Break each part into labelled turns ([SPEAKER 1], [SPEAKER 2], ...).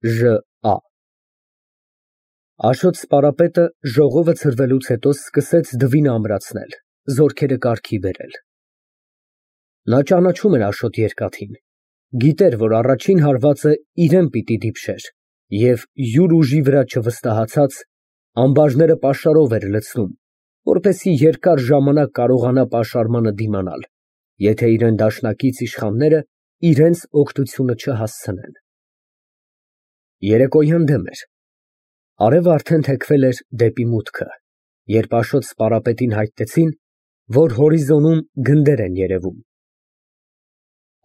[SPEAKER 1] Ժ.Ա. Աշոտ սպարապետը ժողովը ցրվելուց հետո սկսեց դվինը ամրացնել, զորքերը կարգի բերել։ Նա ճանաչում էր Աշոտ երկաթին, գիտեր, որ առաջին հարվածը իրան պիտի դիպչեր և յուր ուժի վրա չվստահացած, ամբարները պաշարով էր լցնում, որպեսզի երկար ժամանակ կարողանա պաշարմանը դիմանալ, եթե իրան դաշնակից իշխանները իրենց օգնությունը չհասցնեն։ Երեկոյան դեմ էր, արևը արդեն թեքվել էր դեպի մուտքը, երբ Աշոտ սպարապետին հայտնեցին, որ հորիզոնում գնդեր են երևում։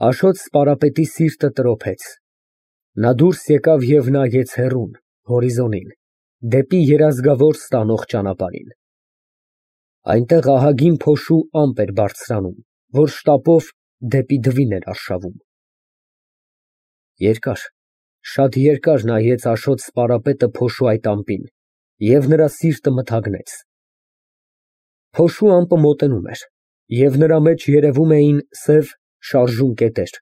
[SPEAKER 1] Աշոտ սպարապետի սիրտը տրոփեց, նա դուրս եկավ և նայեց հեռուն, հորիզոնին, դեպի երազգավոր ստանող ճանապարհին։ Այնտեղ ահագին փոշու ամպ էր բարձրանում, որ շտապով դեպի դվին էր արշավում։ Երկար, շատ երկար նայեց Աշոտ սպարապետը փոշու այդ ամպին և նրա սիրտը մթագնեց։ Փոշու ամպը մոտենում էր, և նրա մեջ երևում էին սև շարժուն կետեր,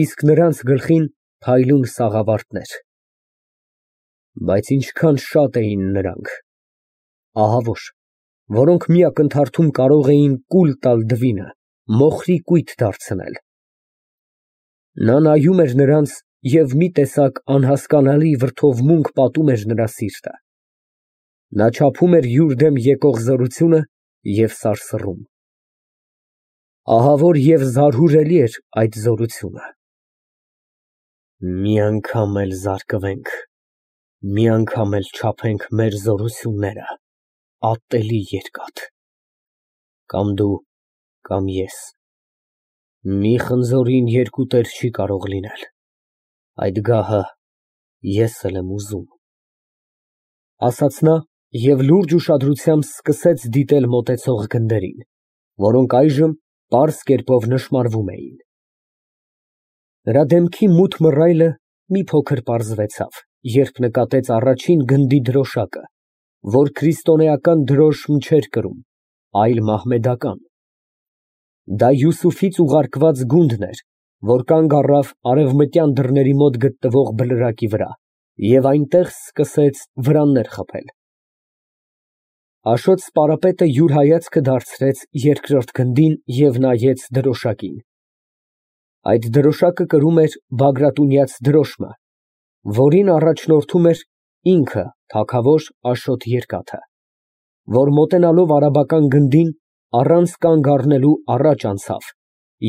[SPEAKER 1] իսկ նրանց գլխին փայլուն սաղավարտներ։ Բայց ինչքան շատ էին նրանք, ահավոր, որոնք մի ակնթարթում կարող էին կուլ տալ դվինը, մոխրի կույտ դարձնել։ Նա նայում էր նրանց և մի տեսակ անհասկանալի վրդովմունք պատում էր նրա սիրտը։ Նա չափում էր յուր դեմ եկող զորությունը և սարսռում։ Ահավոր և զարհուրելի էր այդ զորությունը։ Մի անգամ էլ զարկվենք, մի անգամ էլ չափենք մեր զորությունները, ատելի երկաթ, կամ դու, կամ ես, մի խնձորին երկու տեր չի կարող լինել, այդ գահը ես էլ եմ ուզում, ասաց նա և լուրջ ուշադրությամբ սկսեց դիտել մոտեցող գնդերին, որոնք այժմ պարզ կերպով նշմարվում էին։ Նրա դեմքի մութ մռայլը մի փոքր պարզվեցավ, երբ նկատեց առաջին գնդի դրոշակը, որ քրիստոնեական դրոշմ չէր կրում, այլ մահմեդական։ Դա Յուսուֆից ուղարկված գունդն էր, որ կանգ առավ արևմտյան դռների մոտ գտնվող բլրակի վրա և այնտեղ սկսեց վրաններ խփել։ Աշոտ սպարապետը յուր հայացքը դարձրեց երկրորդ գնդին և նայեց դրոշակին։ Այդ դրոշակը կրում էր Բագրատունյաց դրոշմը, որին առաջնորդում էր ինքը թագավոր Աշոտ Երկաթը, որ մոտենալով արաբական գնդին, առանց կանգ առնելու առաջ անցավ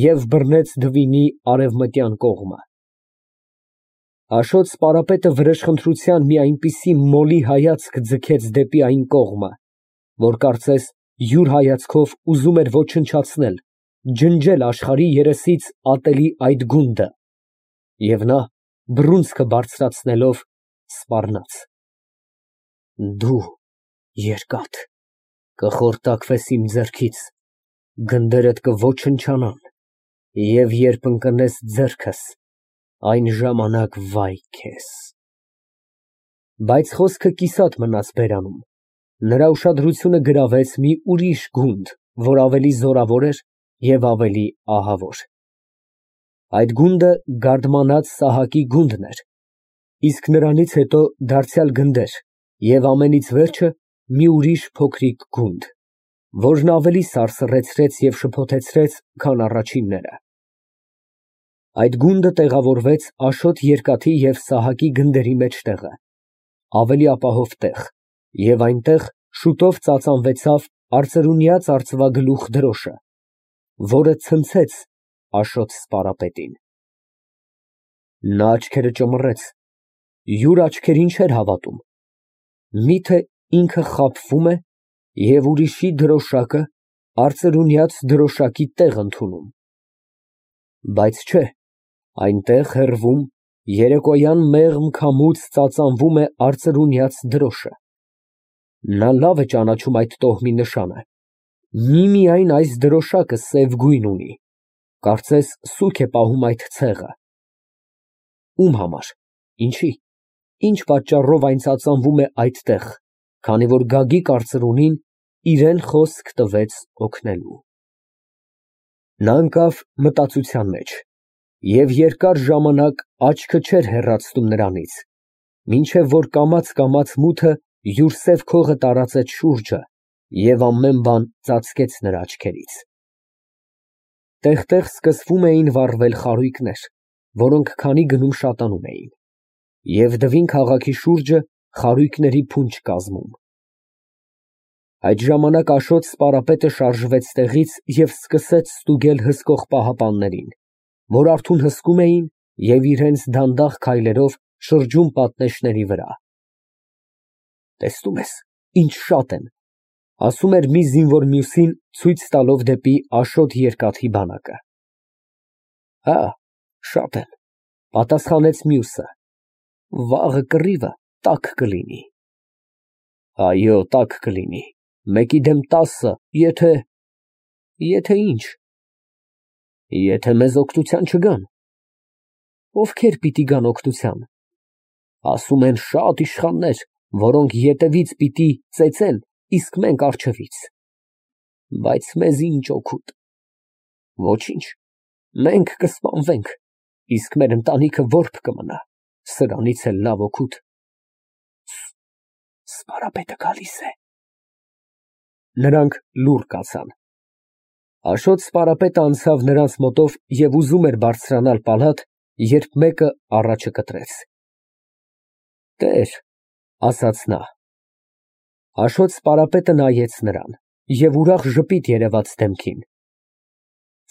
[SPEAKER 1] և բռնեց դվինի արևմտյան կողմը։ Աշոտ սպարապետը վրեժխնդրության մի այնպիսի մոլի հայացք ձգեց դեպի այն կողմը, որ կարծես յուր հայացքով ուզում էր ոչնչացնել, ջնջել աշխարհի երեսից ատելի այդ գունդը, և նա, բռունցքը բարձրացնելով, սպառնաց. Դու, երկաթ, կխորտակվես իմ ձեռքից, գնդերդ կոչնչանան, և երբ ընկնես ձեռքս, այն ժամանակ վայ քեզ։ Բայց խոսքը կիսատ մնաց բերանում, նրա ուշադրությունը գրավեց մի ուրիշ գունդ, որ ավելի զորավոր էր և ավելի ահավոր։ Այդ գունդը գարդմանած Սահակի գունդն էր, իսկ նրանից հետո դարձյալ գնդեր և ամենից վերջը մի ուրիշ փոքրիկ գունդ, որն ավելի սարսռեցրեց և շփոթեցրեց, քան առաջինները։ Այդ գունդը տեղավորվեց Աշոտ Երկաթի և Սահակի գնդերի մեջտեղը, ավելի ապահով տեղ, և այնտեղ շուտով ծածանվեցավ արծրունյաց արծվագլուխ դրոշը, որը ցնցեց Աշոտ սպարապետին։ Նա աչքերը ճմռեց, յուր աչքերին չէր հավատում, միթե ինքը խաբվում է և ուրիշի դրոշակը արծրունյաց դրոշակի տեղ ընդունում։ Բայց չէ, այնտեղ հեռվում, երեկոյան մեղմ քամուց ծածանվում է արծրունյաց դրոշը։ Նա լավ է ճանաչում այդ տոհմի նշանը, միմիայն այս դրոշակը սև գույն ունի, կարծես սուգ է պահում այդ ցեղը։ Ում համար, ինչի, ինչ պատճառով այն ծածանվում է այդտեղ, քանի որ Գագիկ արծրունին իրան խոսք տվեց օգնելու։ Նա ընկավ մտածության մեջ և երկար ժամանակ աչքը չէր հեռացնում նրանից, Մինչև որ կամաց մութը յուր սև քողը տարածեց շուրջը և ամեն բան ծածկեց նրա աչքերից։ Տեղ-տեղ սկսվում էին վառվել խարույկներ, որոնք քանի գնում շատանում էին, և Դվին քաղաքի շուրջը խարույկների փունջ կազմում։ Այդ ժամանակ Աշոտ սպարապետը շարժվեց տեղից և սկսեց ստուգել հսկող պահապաններին, որ արթուն հսկում էին և իրենց դանդաղ քայլերով շրջում պատնեշների վրա։ «Տեսնում ես, ինչ շատ են», ֊ ասում էր մի զինվոր մյուսին, ցույց տալով դեպի Աշոտ երկաթի բանակը։ «Հա, շատ են», ֊ պատասխանեց մյուսը, ֊ վաղը կռիվը տաք կլինի։ «Այո, տաք կլինի, մեկի դեմ 10, եթե…» «Եթե ի՞նչ»։ «Եթե մեզ օգնության չգան»։ «Ովքեր պիտի գան օգնության»։ «Ասում են շատ իշխաններ, որոնք ետևից պիտի ծեծեն, իսկ մենք առջևից»։ «Բայց մեզ ինչ օգուտ»։ «Ոչինչ, մենք կսպանվենք, իսկ մեր ընտանիքը որբ կմնա, սրանից էլ լավ օգուտ»։ Սպարապետը գալիս է։ Նրանք լուռ կացան։ Աշոտ սպարապետը անցավ նրանց մոտով և ուզում էր բարձրանալ պալատ, երբ մեկը առաջը կտրեց։ «Տեր», ֊ ասաց նա։ Աշոտ սպարապետը նայեց նրան և ուրախ ժպիտ երևաց դեմքին։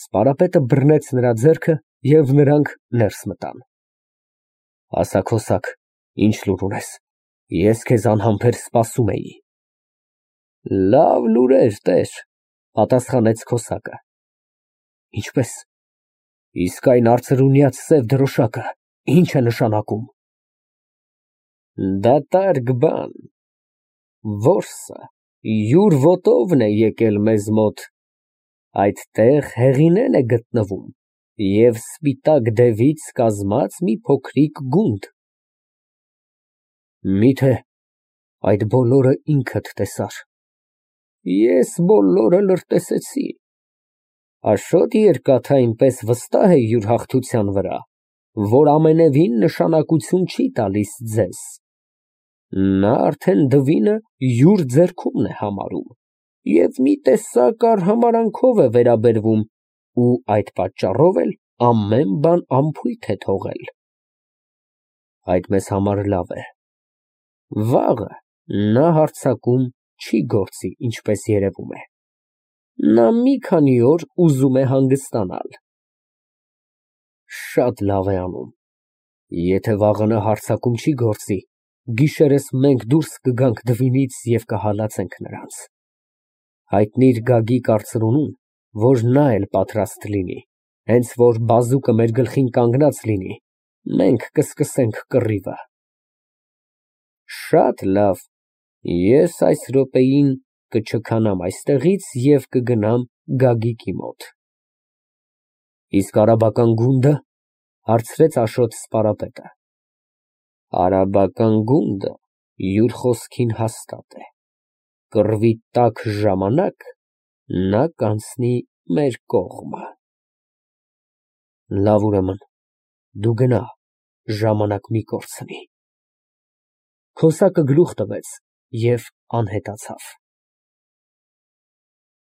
[SPEAKER 1] Սպարապետը բռնեց նրա ձեռքը և նրանք ներս մտան։ «Ասա, քոսակ, ինչ լուր ունես, ես քեզ անհամբեր սպասում էի»։ «Լավ լուրեր, տեր», ֊ պատասխանեց քոսակը։ «Ինչպե՞ս։ Իսկ այն արծրունյաց սև դրոշակը ի՞նչ է նշանակում»։ «Դատարկ բան։ Որսը յուր ոտովն է եկել մեզ մոտ, այդտեղ Հեղինեն է գտնվում և սպիտակ դևից կազմած մի փոքրիկ գունդ»։ «Մի՞թե այդ բոլորը ինքդ տեսար»։ «Ես բոլորը լրտեսեցի։ Աշոտ Երկաթը այնպես վստահ է յուր հաղթության վրա, որ ամենևին նշանակություն չի տալիս ձեզ։ Նա արդեն Դվինը յուր ձեռքումն է համարում և մի տեսակ արհամարհանքով է վերաբերվում ու այդ պատճառով էլ ամեն բան անփույթ է թողել։ Այդ մեզ համար լավ է։ Վաղը նա հարձակում չի գործի, ինչպես երևում է։ Նա մի քանի օր ուզում է հանգստանալ»։ «Շատ լավ է անում։ Եթե վաղը նա հարձակում չի գործի, գիշերս մենք դուրս կգանք Դվինից և կհալածենք նրանց։ Հայտնիր Գագիկ արծրունուն, որ նա էլ պատրաստ լինի, հենց որ բազուկը մեր գլխին կանգնած լինի, մենք կսկսենք կռիվը»։ «Շատ լավ, ես այս րոպեին կչքանամ այստեղից և կգնամ Գագիկի մոտ»։ «Իսկ արաբական գունդը», ֊ հարցրեց Աշոտ սպարապետը։ «Արաբական գունդը յուր խոսքին հաստատ է, կռվի տաք ժամանակ նա կանցնի մեր կողմը»։ «Լավ, ուրեմն դու գնա, ժամանակ մի կորցնի»։ Քոսակը գլուխ տվեց և անհետացավ։